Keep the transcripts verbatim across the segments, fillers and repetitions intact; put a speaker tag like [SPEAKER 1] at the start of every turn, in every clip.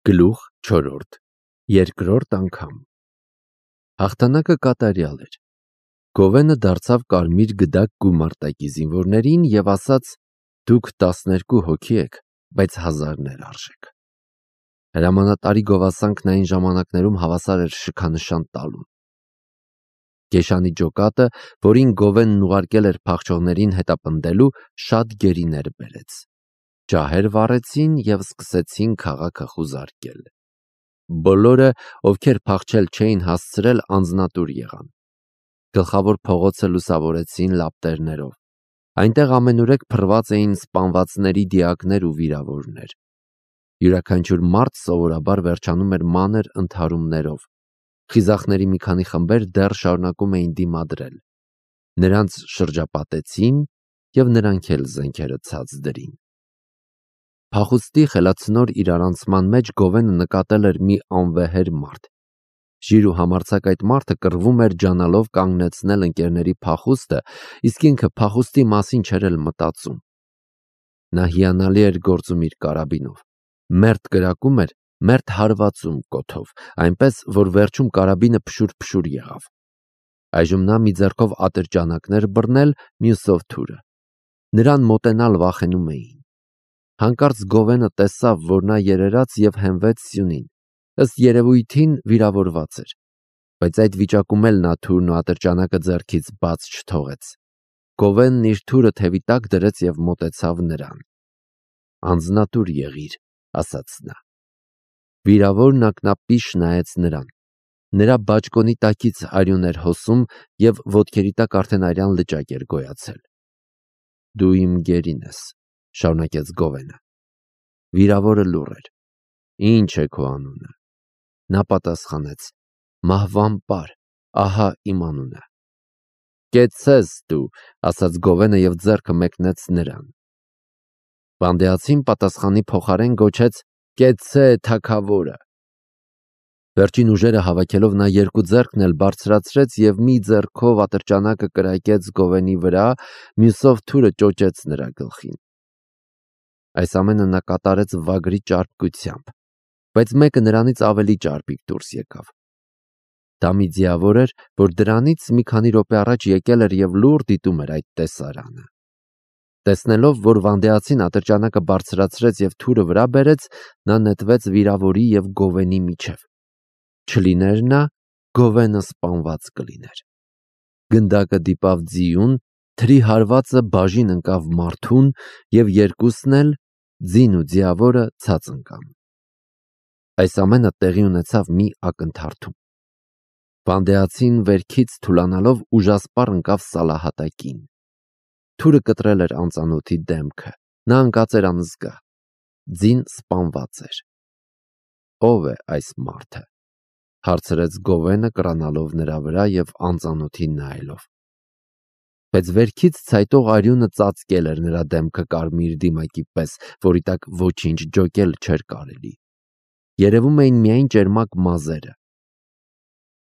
[SPEAKER 1] Գլուխ չորրորդ Երկրորդ անգամ Հաղթանակը կատարյալ էր։ Գովենը դարձավ կարմիր գդակ գումարտակի զինվորներին և ասաց. «Դուք տասներկու հոգի եք, բայց հազարներ արժեք»։ Հրամանատարի գովասանքն այն ժամանակներում հավասար էր շքանշան տալուն։ Գեշանի ջոկատը, որին Գովենն ուղարկել էր փախչողներին հետապնդելու, շատ գերիներ բերեց։ Ջահեր վառեցին և սկսեցին քաղաքը խուզարկել։ Բոլորը, ովքեր փախչել չէին հասցրել, անձնատուր եղան։ Գլխավոր փողոցը լուսավորեցին լապտերներով։ Այնտեղ ամենուրեք փռված էին սպանվածների դիակներ ու վիրավորներ։ Յուրաքանչյուր մարդ սովորաբար վերջանում էր մանր ընդհարումներով։ Խիզախների մի քանի խմբեր դեռ շարունակում էին դիմադրել։ Նրանց շրջապատեցին և նրանք էլ զենքերը ցած դրին։ Փախուստի խելացնոր իրարանցման մեջ Գովենը նկատել էր մի անվեհեր մարդ։ Ժիր ու համարձակ այդ մարդը կռվում էր ջանալով կանգնեցնել ընկերների փախուստը, իսկ ինքը փախուստի մասին չէր էլ մտածում։ Նա հիանալի էր գործում իր կարաբինով։ Մերթ կրակում էր, մերթ հարվածում կոթով, այնպես, որ վերջում կարաբինը փշուր-փշուր եղավ։ Այժմ նա մի ձեռքով ատրճանակներ բռնել, մյուսով թուրը։ Նրան մոտենալ վախենում էին։ Հանկարծ Գովենը տեսավ, որ նա երերաց և հենվեց սյունին, ըստ երևույթին վիրավորված էր, բայց այդ վիճակում էլ նա թուրն ու ատրճանակը ձեռքից բաց չթողեց։ Գովենն իր թուրը թևի տակ դրեց և մոտեցավ նրան։ «Անձնատուր եղիր», ասաց նա։ Վիրավորն ակնապիշ նայեց նրան։ Նրա բաճկոնի տակից արյուն էր հոսում և ոտքերի տակ արդեն արյան լճակ էր գոյացել։ «Դու իմ գերին ես», շարունակեց Գովենը։ Վիրավորը լուռ էր։ «Ինչ է քո անունը»։ Նա պատասխանեց. «Մահվան պար, ահա իմ անունը»։ «Կեցցես դու», ասաց Գովենը և ձեռքը մեկնեց նրան։ Վանդեացին պատասխանի փոխարեն գոչեց. «Կեցցե թագավորը»։ Վերջին ուժերը հավաքելով նա երկու ձեռքն էլ բարձրացրեց և մի ձեռքով ատրճանակը կրակեց Գովենի վրա, մյուսով թուրը ճոճեց նրա գլխին։ Այս ամենը նա կատարեց վագրի ճարպկությամբ, բայց մեկը նրանից ավելի ճարպիկ դուրս եկավ։ Դա մի ձիավոր էր, որ դրանից մի քանի րոպե առաջ եկել էր և լուռ դիտում էր այդ տեսարանը։ Տեսնելով, որ վանդեացին ատրճանակը բարձրացրեց և թուրը վրա բերեց, նա նետվեց վիրավորի և Գովենի միջև։ Չլիներ նա, Գովենը սպանված կլիներ։ Գնդակը դիպավ ձիուն, թրի հարվածը բաժին ընկավ մարդուն, և երկուսն էլ, ձին ու ձիավորը, ցած ընկան։ Այս ամենը տեղի ունեցավ մի ակնթարթում։ Վանդեացին վերքից թուլանալով ուժասպառ ընկավ սալահատակին։ Թուրը կտրել էր անծանոթի դեմքը։ Նա ընկած էր անզգա։ Ձին սպանված էր։ «Ո՞վ է այս մարդը», հարցրեց Գովենը կռանալով նրա վրա և անծանոթին նայելով։ Բայց վերքից ցայտող արյունը ծածկել էր նրա դեմքը կարմիր դիմակի պես, որի տակ ոչինչ ջոկել չէր կարելի։ Երևում էին միայն ճերմակ մազերը։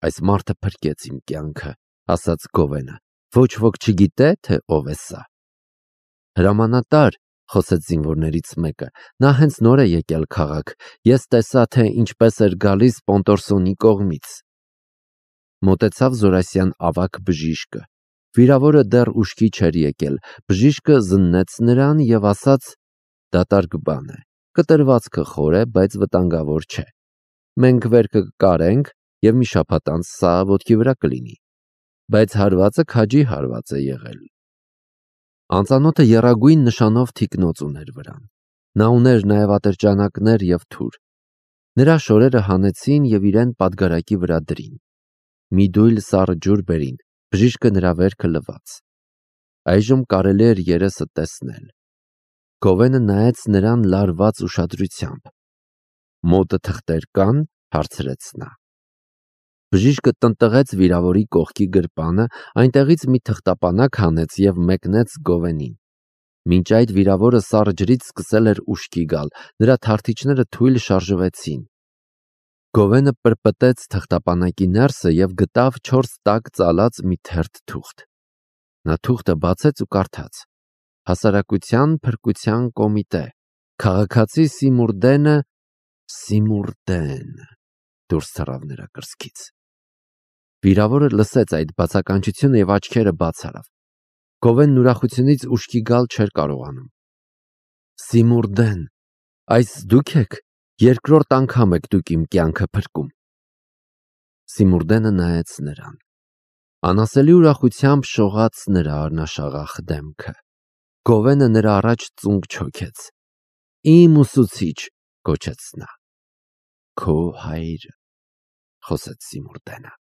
[SPEAKER 1] «Այս մարդը փրկեց իմ կյանքը», ասաց Գովենը։ «Ոչ ոք չգիտե, թե ով է սա»։ «Հրամանատար», խոսեց զինվորներից մեկը, «նա հենց նոր է եկել քաղաք։ Ես տեսա, թե ինչպես էր գալիս Պոնտորսոնի կողմից»։ Մոտեցավ զորասյան ավագ բժիշկը։ Վիրավորը դեռ ուշքի չէր եկել։ Բժիշկը զննեց նրան և ասաց. «Դատարկ բան է։ Կտրվածքը խոր է, բայց վտանգավոր չէ։ Մենք վերքը կկարենք և մի շաբաթ անց սա ոտքի վրա կլինի։ Բայց հարվածը քաջի հարված է եղել»։ Անծանոթը եռագույն նշանով թիկնոց ուներ վրան։ Նա ուներ նաև ատրճանակներ և թուր։ Նրա շորերը հանեցին և իրեն պատգարակի վրա դրին։ Մի դույլ սառը ջուր բերին, բժիշկը նրա վերքը լվաց։ Այժմ կարելի էր երեսը տեսնել։ Գովենը նայեց նրան լարված ուշադրությամբ։ «Մոտը թղթեր կա՞ն», հարցրեց նա։ Բժիշկը տնտղեց վիրավորի կողքի գրպանը, այնտեղից մի թղթապանակ հանեց և մեկնեց Գովենին։ Մինչ այդ վիրավորը սառը ջրից սկսել էր ուշքի գալ, նրա թարթիչները թույլ շարժվեցին։ Գովենը պրպտեց թղթապանակի ներսը և գտավ չորս տաք ծալած մի թերթ թուղթ։ Նա թուղթը բացեց ու կարդաց. «Հասարակության փրկության կոմիտե, քաղաքացի Սիմուրդենը Սիմուրդեն, դուրս թռավ նրա կրծքից։ Վիրավորը լսեց այդ բացականչությունը և աչքերը բաց արավ։ Գովենն ուրախությունից ուշքի գալ չէր կարողանում։ Սիմուրդեն, այս դուք եք, երկրորդ անգամ եք դուք իմ կյանքը փրկում։ Սիմուրդենը նայեց նրան։ Անասելի ուրախությամբ շողաց նրա արնաշաղախ դեմքը։ Գովենը նրա առաջ ծունկ չոքեց։ Իմ ուսուցիչ, գոչեց նա։ Քո հայրը, խոսեց Սիմուրդենը։